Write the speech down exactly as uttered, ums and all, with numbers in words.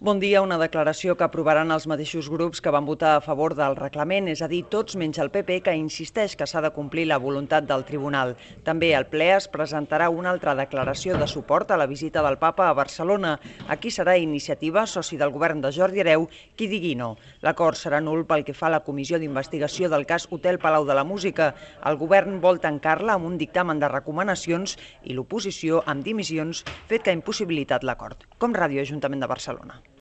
Bon dia, una declaració que aprovaran els mateixos grups que van votar a favor del reglament, és a dir, tots menys el P P, que insisteix que s'ha de complir la voluntat del tribunal. També al ple es presentarà una altra declaració de suport a la visita del papa a Barcelona. Aquí serà Iniciativa, soci del govern de Jordi Hereu, qui digui no. L'acord serà nul pel que fa a la comissió d'investigació del cas Hotel Palau de la Música. El govern vol tancar-la amb un dictamen de recomanacions i l'oposició amb dimissions, fet que ha impossibilitat l'acord. Com Ràdio Ajuntament de Barcelona.